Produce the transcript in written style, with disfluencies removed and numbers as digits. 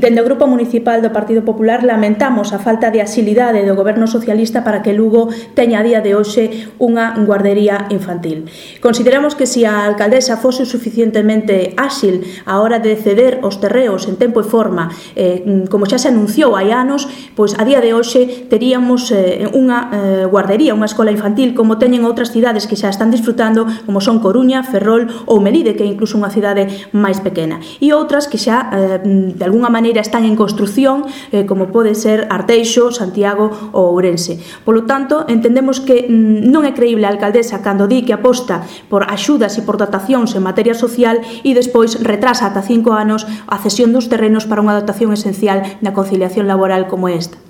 Dende o Grupo Municipal do Partido Popular lamentamos a falta de axilidade do Goberno socialista para que Lugo teña a día de hoxe unha guardería infantil. Consideramos que se a alcaldesa fose suficientemente áxil a hora de ceder os terreos en tempo e forma, como xa se anunciou hai anos, pois a día de hoxe teríamos unha guardería, unha escola infantil como teñen outras cidades que xa están disfrutando, como son Coruña, Ferrol ou Melide, que é incluso unha cidade máis pequena, e outras que xa de alguna maneira están en construción, como pode ser Arteixo, Santiago ou Ourense. Polo tanto, entendemos que non é creíble a alcaldesa cando di que aposta por axudas e por dotacións en materia social e despois retrasa ata 5 anos a cesión dos terrenos para unha dotación esencial na conciliación laboral como esta.